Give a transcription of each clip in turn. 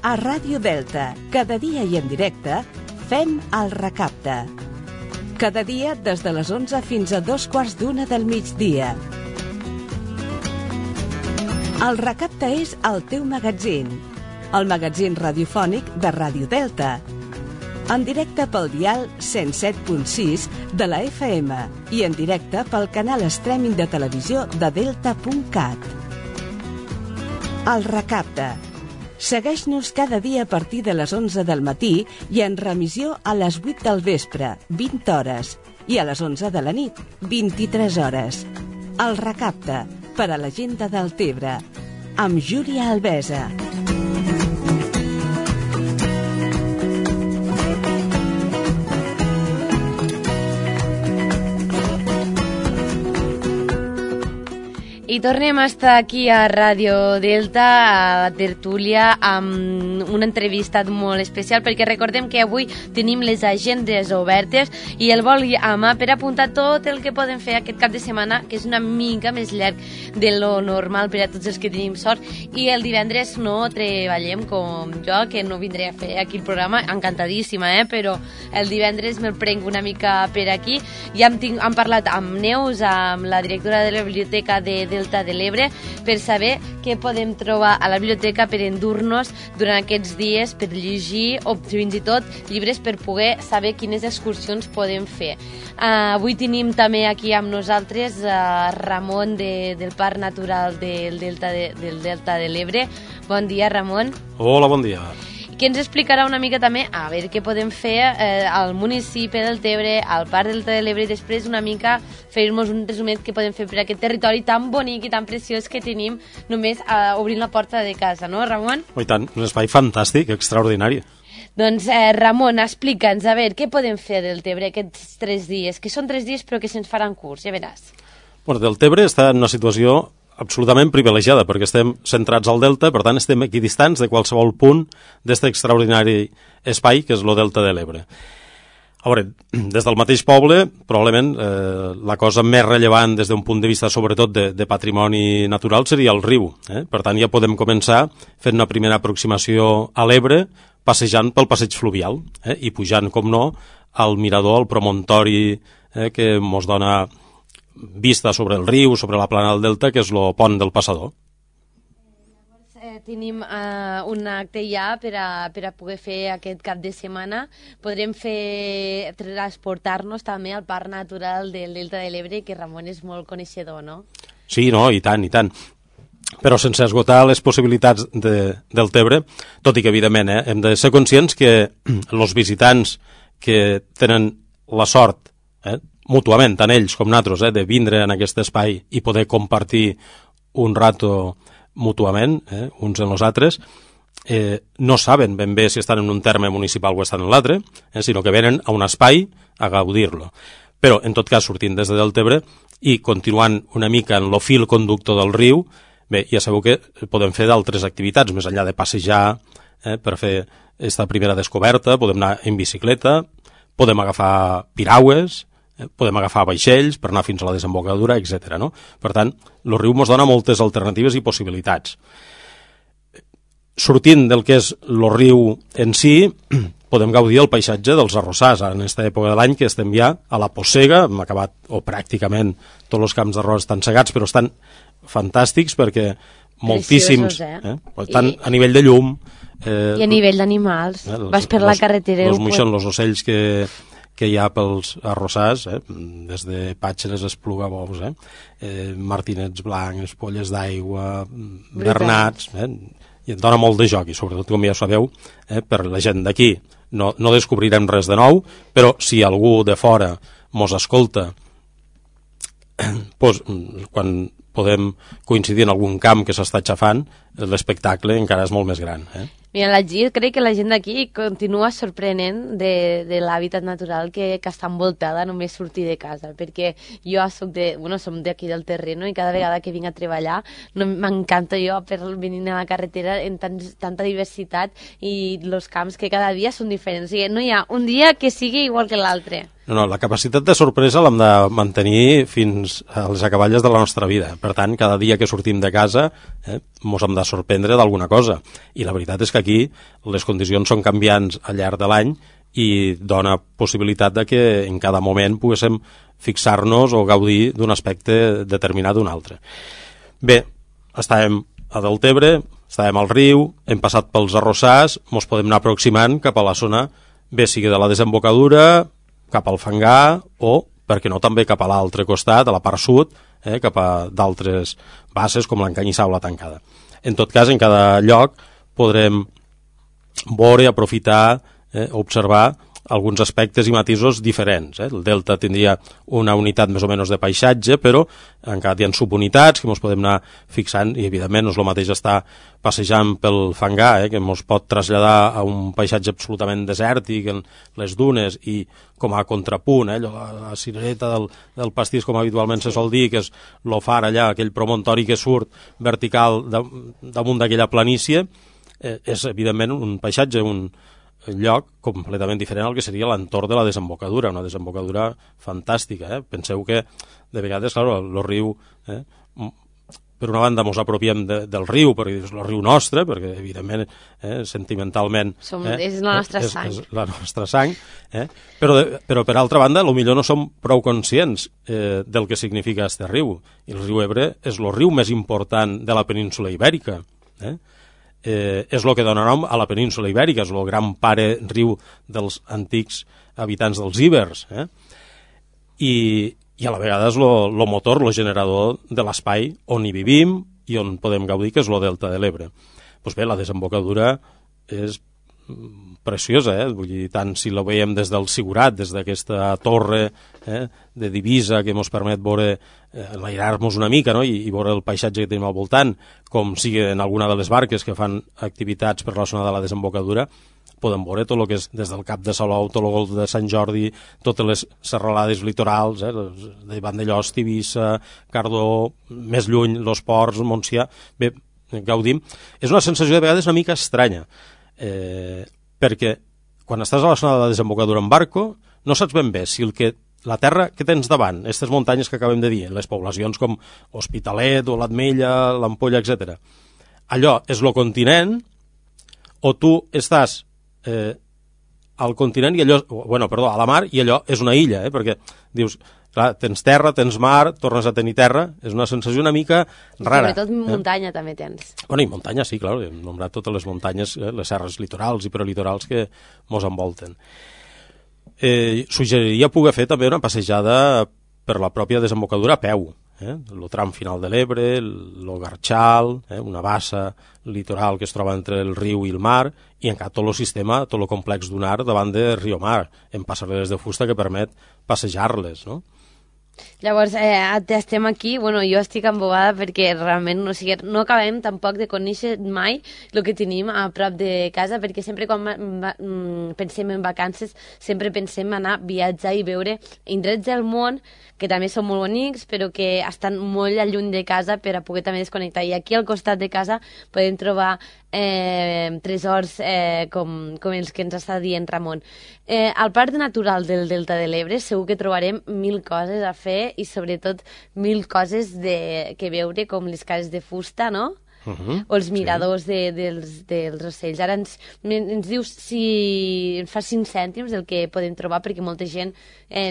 A Ràdio Delta, cada dia i en directe, fem el Recapte. Cada dia des de les 11 fins a 2:15 del migdia. El Recapte és el teu magatzín, el magatzín radiofònic de Ràdio Delta. En directe pel dial 107.6 de la FM i en directe pel canal streaming de televisió de delta.cat. El Recapte. Segueix-nos cada dia a partir de les 11 del matí i en remissió a les 8 del vespre, 20 hores, i a les 11 de la nit, 23 hores. El Recapte, per a la gent de Deltebre, amb Júlia Albesa. I tornem a estar aquí a Ràdio Delta, a Tertúlia, amb una entrevista molt especial, perquè recordem que avui tenim les agendes obertes i el vol a mà per apuntar tot el que podem fer aquest cap de setmana, que és una mica més llarg de lo normal per a tots els que tenim sort. I el divendres no treballem com jo, que no vindré a fer aquí el programa, encantadíssima, però el divendres me'l prenc una mica per aquí. Ja hem parlat amb Neus, amb la directora de la biblioteca de Delta de l'Ebre, per saber què podem trobar a la biblioteca per endur-nos durant aquests dies, per llegir o fins i tot llibres per poder saber quines excursions podem fer. Avui tenim també aquí amb nosaltres Ramon del Parc Natural del Delta de l'Ebre. Bon dia, Ramon. Hola, bon dia. Que ens explicarà una mica també a veure què podem fer al municipi del Tebre, al Parc Delta de l'Ebre, i després una mica fer-nos un resumet que podem fer per aquest territori tan bonic i tan preciós que tenim només obrint la porta de casa, no, Ramon? I tant, un espai fantàstic, extraordinari. Doncs, Ramon, explica'ns, a veure, què podem fer del Tebre aquests 3 dies? Que són 3 dies però que se'ns faran curts, ja veràs. Bueno, del Tebre està en una situació absolutament privilegiada, perquè estem centrats al Delta, per tant estem equidistants de qualsevol punt d'aquest extraordinari espai que és el Delta de l'Ebre. A veure, des del mateix poble, probablement la cosa més rellevant des d'un punt de vista sobretot de patrimoni natural seria el riu. Per tant, ja podem començar fent una primera aproximació a l'Ebre, passejant pel passeig fluvial i pujant, com no, al mirador, al promontori que ens dona vista sobre el riu, sobre la plana del Delta, que és el pont del Passador. Tenim un acte ja per a poder fer aquest cap de setmana. Podrem transportar-nos també al Parc Natural del Delta de l'Ebre, que Ramon és molt coneixedor, no? Sí, no, i tant, i tant. Però sense esgotar les possibilitats del Tebre, tot i que, evidentment, hem de ser conscients que els visitants que tenen la sort, mútuament, tant ells com nosaltres, de vindre en aquest espai i poder compartir un rato mútuament, uns en els altres, no saben ben bé si estan en un terme municipal o estan en l'altre, sinó que venen a un espai a gaudir-lo. Però, en tot cas, sortint des de Deltebre i continuant una mica en el fil conductor del riu, bé, ja sabeu que podem fer d'altres activitats, més enllà de passejar per fer aquesta primera descoberta, podem anar en bicicleta, podem agafar piragües, podem agafar vaixells per anar fins a la desembocadura, etc. No? Per tant, el riu ens dona moltes alternatives i possibilitats. Sortint del que és el riu en si, podem gaudir del paisatge dels arrossars. En aquesta època de l'any que estem ja a la possega, hem acabat, o pràcticament tots els camps d'arròs estan segats, però estan fantàstics perquè moltíssims, tant a nivell de llum... I a nivell d'animals, vas per la carretera... Els moixons, els ocells que hi ha pels arrossars, des de pàtxeres, esplugabous, martinets blancs, polles d'aigua, bernats, i et dona molt de joc, i sobretot, com ja sabeu, per la gent d'aquí no descobrirem res de nou, però si algú de fora mos escolta, quan podem coincidir en algun camp que s'està xafant, l'espectacle encara és molt més gran. Mira, crec que la gent d'aquí continua sorprenent de l'hàbitat natural que està envoltada només sortir de casa, perquè jo som d'aquí del terreno i cada vegada que vinc a treballar m'encanta jo per venir a la carretera en tanta diversitat i els camps que cada dia són diferents. O sigui, no hi ha un dia que sigui igual que l'altre. No, la capacitat de sorpresa l'hem de mantenir fins a les acaballes de la nostra vida. Per tant, cada dia que sortim de casa mos hem de sorprendre d'alguna cosa. I la veritat és que aquí les condicions són canviants al llarg de l'any i dona possibilitat de que en cada moment poguéssim fixar-nos o gaudir d'un aspecte determinat d'un altre. Bé, estàvem a Deltebre, estàvem al riu, hem passat pels arrossars, mos podem anar aproximant cap a la zona, bé sigui de la desembocadura, cap al Fangar o, per què no, també cap a l'altre costat, a la part sud, cap a d'altres basses com l'Encanyissar o la Tancada. En tot cas, en cada lloc podrem veure, aprofitar, observar alguns aspectes i matisos diferents. El delta tindria una unitat més o menys de paisatge, però encara hi ha subunitats que ens podem anar fixant i evidentment no és el mateix estar passejant pel Fangar, que ens pot traslladar a un paisatge absolutament desèrtic en les dunes i com a contrapunt, la cirereta del pastís, com habitualment se sol dir, que és el far allà, aquell promontori que surt vertical damunt d'aquella planícia, és evidentment un paisatge, un lloc completament diferent al que seria l'entorn de la desembocadura, una desembocadura fantàstica. Penseu que de vegades, clar, el riu, per una banda mos apropiem del riu, perquè és el riu nostre, perquè evidentment, sentimentalment és la nostra sang, és la nostra sang, però per altra banda potser no som prou conscients del que significa este riu, i el riu Ebre és el riu més important de la península Ibèrica, és el que dona nom a la península Ibèrica, és el gran pare riu dels antics habitants dels Ibers, i a la vegada és el motor, el generador de l'espai on hi vivim i on podem gaudir, que és el delta de l'Ebre. Doncs bé, la desembocadura és preciosa, vull dir, tant si la veiem des del Sigurat, des d'aquesta torre de divisa que ens permet veure, enlairar-nos una mica, i veure el paisatge que tenim al voltant, com sigui en alguna de les barques que fan activitats per la zona de la desembocadura, podem veure tot el que és des del Cap de Salou, tot el golf de Sant Jordi, totes les serralades litorals, de Vandellòs, Tivissa, Cardó, més lluny, los Ports, Montsià. Bé, gaudim. És una sensació de vegades una mica estranya, perquè quan estàs a la zona de la desembocadura en barco no saps ben bé si la terra que tens davant, aquestes muntanyes que acabem de dir, les poblacions com Hospitalet o l'Atmella, l'Ampolla, etc. Allò és el continent o tu estàs al continent i allò, a la mar, i allò és una illa, perquè dius, clar, tens terra, tens mar, tornes a tenir terra, és una sensació una mica rara. Sobretot muntanya també tens. I muntanya sí, clar, hem nombrat totes les muntanyes, les serres litorals i prelitorals que mos envolten. Suggeriria poder fer també una passejada per la pròpia desembocadura a peu, el tram final de l'Ebre, el Garxal, una bassa litoral que es troba entre el riu i el mar, i encara tot el sistema, tot el complex dunar davant de Riomar, en passarel·les de fusta que permet passejar-les, no? Llavors, estem aquí, jo estic embobada perquè realment no acabem tampoc de conèixer mai el que tenim a prop de casa, perquè sempre quan pensem en vacances sempre pensem anar a viatjar i veure indrets del món que també són molt bonics però que estan molt lluny de casa per a poder també desconnectar, i aquí al costat de casa podem trobar tresors com els que ens està dient Ramon. Al Parc Natural del Delta de l'Ebre segur que trobarem 1000 coses a fer i sobretot 1000 coses que veure, com les cases de fusta, no? O els miradors dels ocells. Ara ens dius si ens fa 5 cèntims el que podem trobar, perquè molta gent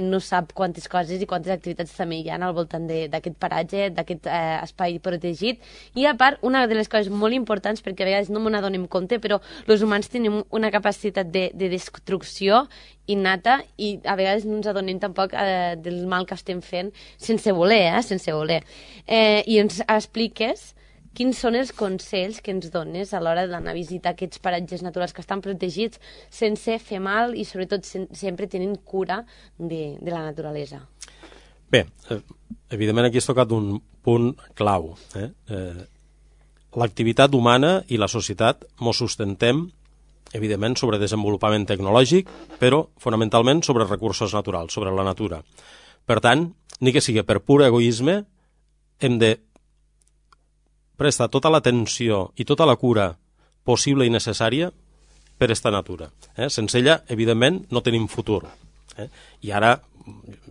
no sap quantes coses i quantes activitats també hi ha al voltant d'aquest paratge, d'aquest espai protegit. I a part, una de les coses molt importants, perquè a vegades no m'ho n'adonem compte, però els humans tenim una capacitat de destrucció innata i a vegades no ens adonem tampoc del mal que estem fent sense voler, sense voler. I ens expliques quins són els consells que ens dones a l'hora d'anar a visitar aquests paratges naturals que estan protegits sense fer mal i sobretot sempre tenint cura de la naturalesa. Bé, evidentment aquí has tocat un punt clau. L'activitat humana i la societat mos sustentem evidentment sobre desenvolupament tecnològic, però fonamentalment sobre recursos naturals, sobre la natura. Per tant, ni que sigui per pur egoisme, hem de prestar tota l'atenció i tota la cura possible i necessària per esta natura. Sense ella, evidentment, no tenim futur. I ara,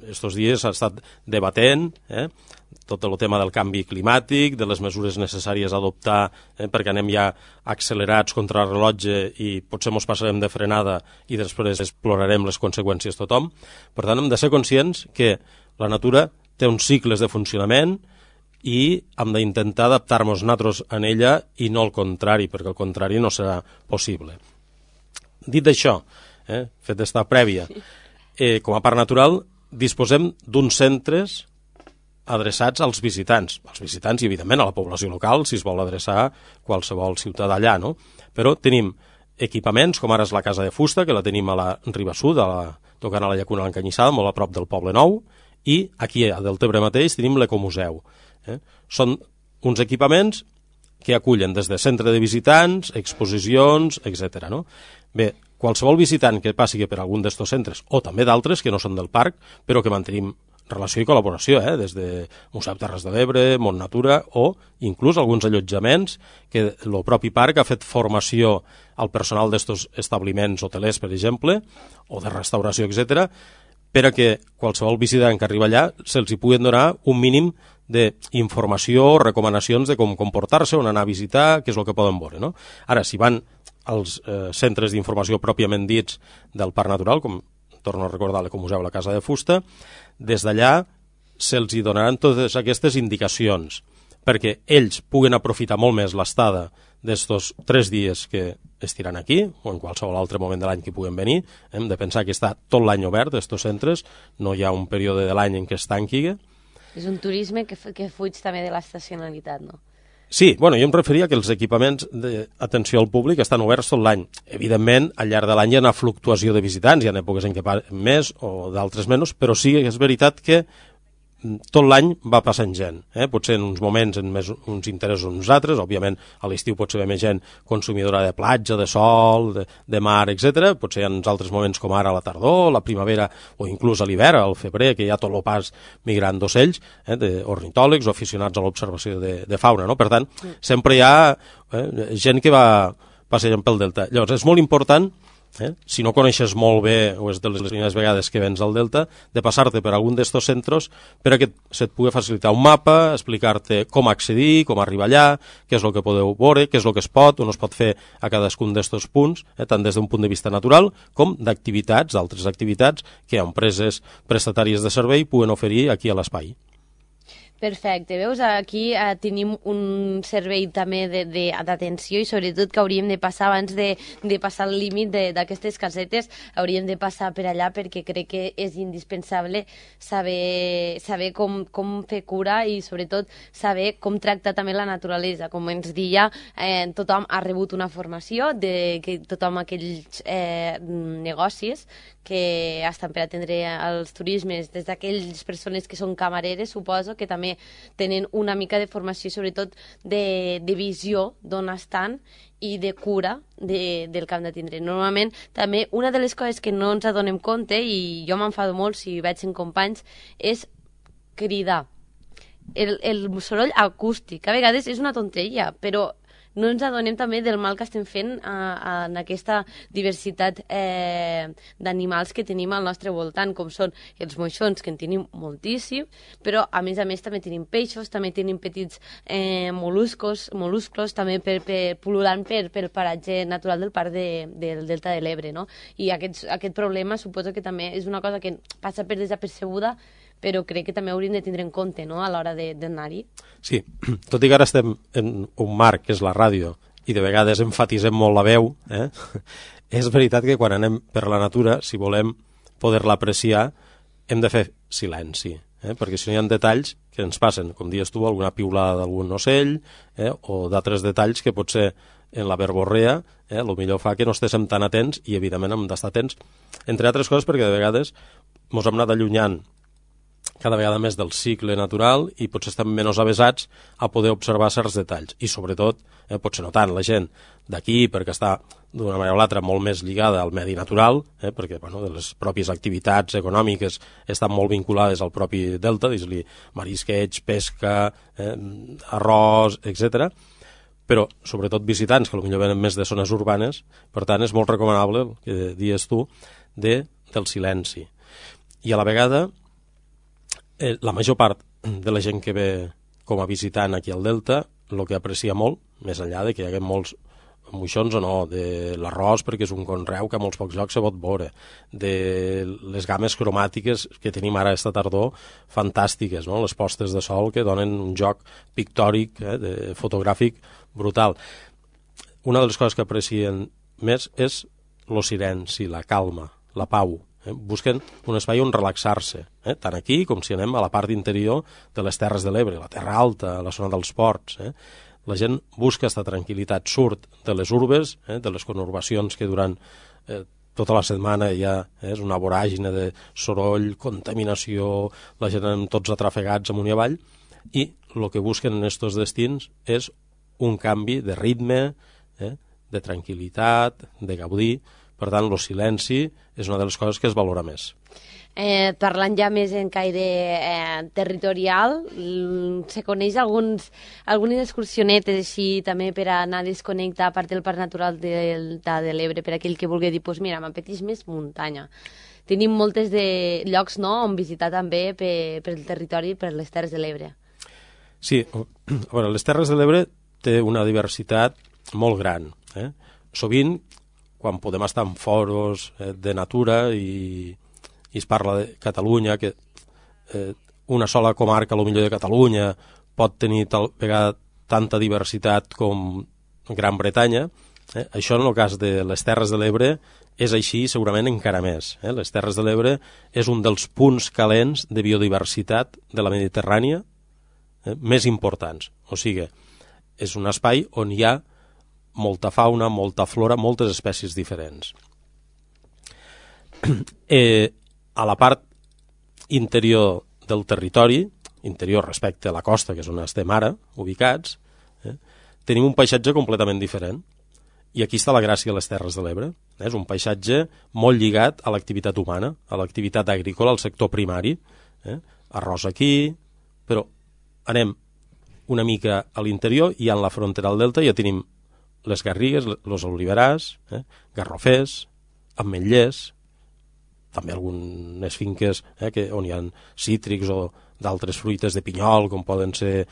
estos dies s'ha estat debatent tot el tema del canvi climàtic, de les mesures necessàries a adoptar perquè anem ja accelerats contra el rellotge i potser ens passarem de frenada i després explorarem les conseqüències tothom. Per tant, hem de ser conscients que la natura té uns cicles de funcionament i hem d'intentar adaptar-nos nosaltres en ella i no al contrari, perquè al contrari no serà possible. Dit això, fet d'esta prèvia, com a parc natural disposem d'uns centres adreçats als visitants i evidentment a la població local si es vol adreçar qualsevol ciutadà allà, no? Però tenim equipaments com ara és la Casa de Fusta, que la tenim a la Riba Sud, tocant a la Llacuna de l'Encanyissada, molt a prop del Poble Nou, i aquí a Deltebre mateix tenim l'Ecomuseu. Són uns equipaments que acullen des de centre de visitants, exposicions, etc. No? Bé, qualsevol visitant que passi per algun d'estos centres, o també d'altres que no són del parc, però que mantenim relació i col·laboració, des de Museu Terres de l'Ebre, Mont Natura, o inclús alguns allotjaments que el propi parc ha fet formació al personal d'estos establiments hotelers, per exemple, o de restauració, etc., per a que qualsevol visitant que arriba allà se'ls hi pugui donar un mínim d'informació, recomanacions de com comportar-se, on anar a visitar, què és el que poden veure. No? Ara, si van als centres d'informació pròpiament dits del Parc Natural, com torno a recordar l'Ecomuseu a la Casa de Fusta, des d'allà se'ls hi donaran totes aquestes indicacions perquè ells puguen aprofitar molt més l'estada d'estos 3 dies que estiran aquí, o en qualsevol altre moment de l'any que puguen venir. Hem de pensar que està tot l'any obert, estos centres, no hi ha un període de l'any en què es tanqui. És un turisme que fuig també de l'estacionalitat, no? Sí, bueno, jo em referia que els equipaments d'atenció al públic estan oberts tot l'any. Evidentment, al llarg de l'any hi ha una fluctuació de visitants, hi ha èpoques en què més o d'altres menys, però sí que és veritat que tot l'any va passant gent. Potser en uns moments en més uns interessos uns altres, òbviament a l'estiu pot ser més gent consumidora de platja, de sol, de mar, etc. Potser en uns altres moments com ara a la tardor, la primavera o inclús a l'hivern, al febrer, que hi ha tot el pas migrant d'ocells, d'ornitòlegs o aficionats a l'observació de fauna. No? Per tant, sempre hi ha gent que va passejant pel delta. Llavors, és molt important, si no coneixes molt bé o és de les primeres vegades que vens al Delta, de passar-te per algun d'estos centres per a que se't pugui facilitar un mapa, explicar-te com accedir, com arribar allà, què és el que podeu veure, què és el que es pot o no es pot fer a cadascun d'estos punts, tant des d'un punt de vista natural com d'activitats, d'altres activitats que empreses prestatàries de servei puguen oferir aquí a l'espai. Perfecte, veus, aquí tenim un servei també d'atenció i sobretot que hauríem de passar abans de passar el límit d'aquestes casetes, hauríem de passar per allà perquè crec que és indispensable saber com fer cura i sobretot saber com tractar també la naturalesa. Com ens deia, tothom ha rebut una formació de que tothom aquells negocis que estan per atendre els turismes, des d'aquelles persones que són camareres, suposo que també tenen una mica de formació, sobretot de visió d'on estan i de cura del que hem de tindre. Normalment, també, una de les coses que no ens adonem compte, i jo m'enfado molt si veig en companys, és cridar. El soroll acústic. A vegades és una tonteria, però no ens adonem també del mal que estem fent en aquesta diversitat d'animals que tenim al nostre voltant, com són els moixons, que en tenim moltíssim, però a més també tenim peixos, també tenim petits moluscos també pol·lulant pel paratge natural del parc del Delta de l'Ebre, no? I aquest problema suposo que també és una cosa que passa per desapercebuda, però crec que també hauríem de tindre en compte, no?, a l'hora d'anar-hi. Sí, tot i que ara estem en un marc que és la ràdio i de vegades emfatitzem molt la veu, és veritat que quan anem per la natura, si volem poder-la apreciar, hem de fer silenci, perquè si no hi ha detalls que ens passen, com dius tu, alguna piulada d'algun ocell o d'altres detalls que potser en la verborrea el millor fa que no estéssim tan atents i evidentment hem d'estar atents, entre altres coses perquè de vegades ens hem anat allunyant cada vegada més del cicle natural i potser estem menys avesats a poder observar certs detalls. I sobretot, potser no tant la gent d'aquí, perquè està d'una manera o l'altra molt més lligada al medi natural, perquè les pròpies activitats econòmiques estan molt vinculades al propi delta, dis-li marisqueig, pesca, arròs, etc. Però sobretot visitants que potser venen més de zones urbanes, per tant és molt recomanable el que dius tu del silenci. I a la vegada, la major part de la gent que ve com a visitant aquí al Delta, el que aprecia molt, més enllà de que hi haguem molts moixons o no, de l'arròs perquè és un conreu que a molts pocs llocs se pot veure, de les games cromàtiques que tenim ara aquesta tardor, fantàstiques, no? Les postes de sol que donen un joc pictòric, fotogràfic brutal. Una de les coses que aprecien més és el silenci, la calma, la pau. Busquen un espai on relaxar-se, tant aquí com si anem a la part interior de les Terres de l'Ebre, la Terra Alta, la zona dels ports. La gent busca aquesta tranquil·litat, surt de les urbes, de les conurbacions que durant tota la setmana ja és una voràgine de soroll, contaminació, la gent amb tots atrafegats amunt i avall, i el que busquen en aquests destins és un canvi de ritme, de tranquil·litat, de gaudir. Per tant, el silenci és una de les coses que es valora més. Parlant ja més en caire territorial, se coneix algunes excursionetes així també per anar a desconnectar a part del Parc Natural de l'Ebre, per aquell que vulgui dir, doncs mira, m'apeteix més muntanya. Tenim moltes de llocs, no?, on visitar també pel territori, per les Terres de l'Ebre. Sí, a veure, les Terres de l'Ebre té una diversitat molt gran. Sovint, quan podem estar en foros de natura i es parla de Catalunya, que una sola comarca, potser de Catalunya, pot tenir tal vegada tanta diversitat com Gran Bretanya. Això en el cas de les Terres de l'Ebre és així, segurament encara més. Les Terres de l'Ebre és un dels punts calents de biodiversitat de la Mediterrània més importants. O sigui, és un espai on hi ha molta fauna, molta flora, moltes espècies diferents. A la part interior del territori, interior respecte a la costa, que és on estem ara, ubicats, tenim un paisatge completament diferent. I aquí està la gràcia de les Terres de l'Ebre. És un paisatge molt lligat a l'activitat humana, a l'activitat agrícola, al sector primari. Arròs aquí, però anem una mica a l'interior i en la frontera del Delta ja tenim les garrigues, els oliverars, garrofers, ametllers, també algunes finques on hi ha cítrics o d'altres fruites de pinyol, com poden ser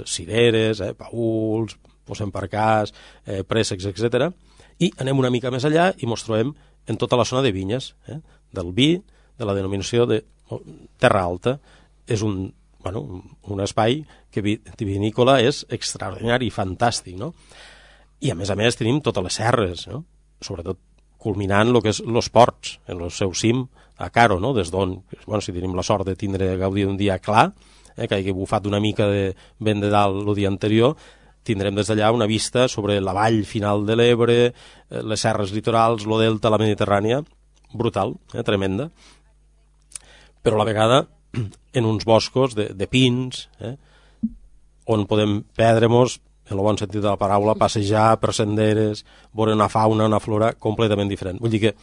cireres, paüls, emparcars, préssecs, etc. I anem una mica més allà i ens trobem en tota la zona de vinyes, del vi, de la denominació de Terra Alta. És un espai que vinícola és extraordinari i fantàstic, no? I a més tenim totes les serres, no? Sobretot culminant el que és els ports, en el seu cim, a Caro, no? Des d'on, si tenim la sort de gaudir d'un dia clar, que hagi bufat una mica de vent de dalt el dia anterior, tindrem des d'allà una vista sobre la vall final de l'Ebre, les serres litorals, el delta, la Mediterrània, brutal, tremenda, però a la vegada en uns boscos de pins, on podem perdre-nos, en el bon sentit de la paraula, passejar per senderes, veure una fauna, una flora completament diferent. Vull dir que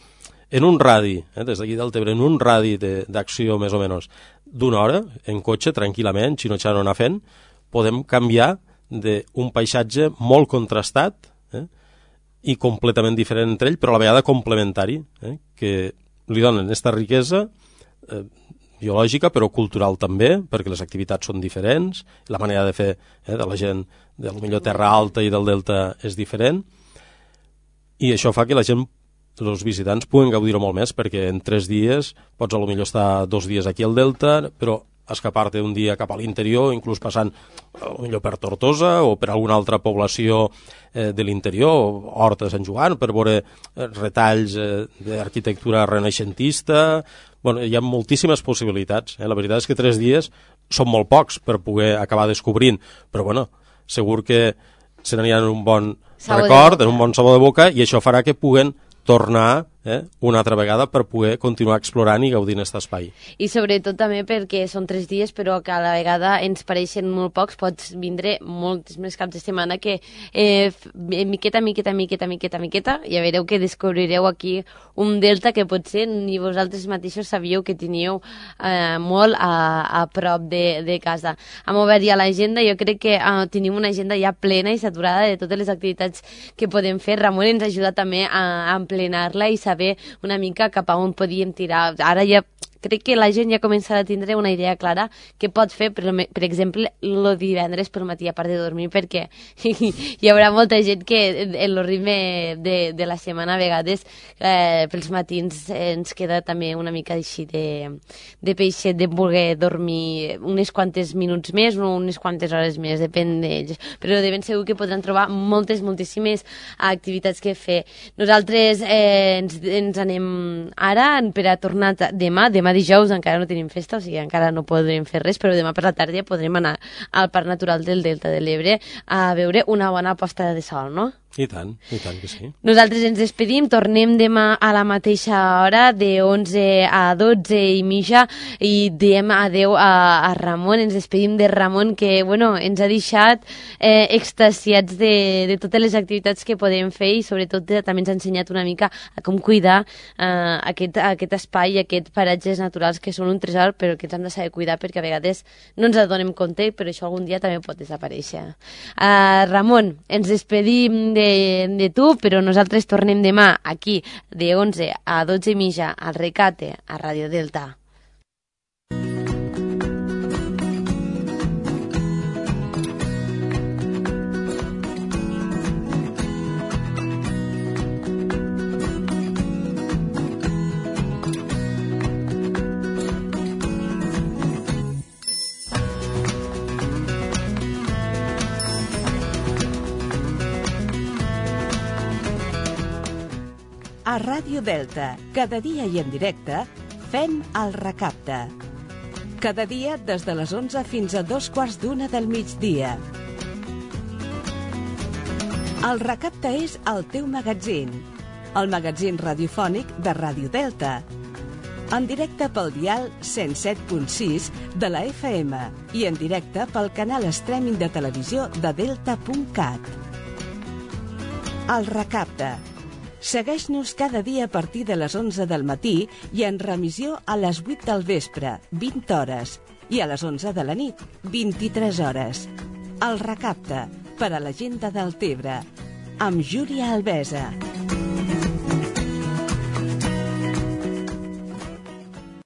en un radi, des d'aquí del Tebre, en un radi d'acció més o menys d'una hora, en cotxe, tranquil·lament, xinotxant o anar fent, podem canviar d'un paisatge molt contrastat i completament diferent entre ell, però a la vegada complementari, que li donen aquesta riquesa biològica, però cultural també, perquè les activitats són diferents, la manera de fer de la gent de la Terra Alta i del Delta és diferent, i això fa que la gent, els visitants, puguen gaudir-ho molt més, perquè en 3 dies pots potser estar 2 dies aquí al Delta, però escapar-te un dia cap a l'interior, inclús passant potser per Tortosa o per alguna altra població de l'interior, Horta de Sant Joan, per veure retalls d'arquitectura renaixentista. Hi ha moltíssimes possibilitats. La veritat és que 3 dies són molt pocs per poder acabar descobrint, però segur que se n'aniran en un bon record, en un bon sabor de boca, i això farà que puguen tornar una altra vegada per poder continuar explorant i gaudint aquest espai. I sobretot també perquè són 3 dies, però que a la vegada ens pareixen molt pocs, pots vindre molts més caps de setmana que miqueta, ja veureu que descobrireu aquí un delta que potser ni vosaltres mateixos sabíeu que teníeu molt a prop de casa. Hem obert ja l'agenda, jo crec que tenim una agenda ja plena i saturada de totes les activitats que podem fer. Ramon ens ajuda també a emplenar-la i saber una mica cap a on podíem tirar. Ara ja crec que la gent ja començarà a tindre una idea clara què pot fer, per exemple, el divendres pel matí, a part de dormir, perquè hi haurà molta gent que en el ritme de la setmana a vegades pels matins ens queda també una mica així de peixet, de voler dormir unes quantes minuts més o unes quantes hores més, depèn d'ells, però de ben segur que podran trobar moltíssimes activitats que fer. Nosaltres ens anem ara per a tornar demà dijous encara no tenim festa, o sigui, encara no podrem fer res, però demà per la tarda podrem anar al Parc Natural del Delta de l'Ebre a veure una bona posta de sol, no? I tant que sí. Nosaltres ens despedim, tornem demà a la mateixa hora, de 11 a 12 i mitja, i diem adeu a Ramon, ens despedim de Ramon, que ens ha deixat extasiats de totes les activitats que podem fer i sobretot també ens ha ensenyat una mica a com cuidar aquest espai i aquests paratges naturals que són un tresor, però que ens hem de saber cuidar perquè a vegades no ens adonem compte, però això algun dia també pot desaparèixer. Ramon, ens despedim de tu, però nosaltres tornem demà aquí de 11 a 12 i mitja al Recate, a Ràdio Delta. A Ràdio Delta, cada dia i en directe, fem el Recapte. Cada dia des de les 11 fins a 2:15 del migdia. El Recapte és el teu magatzín, el magatzín radiofònic de Ràdio Delta. En directe pel dial 107.6 de la FM i en directe pel canal streaming de televisió de delta.cat. El Recapte. Segueix-nos cada dia a partir de les 11 del matí i en remissió a les 8 del vespre, 20 hores, i a les 11 de la nit, 23 hores. El Recapte, per a la gent de Deltebre, amb Júlia Albesa.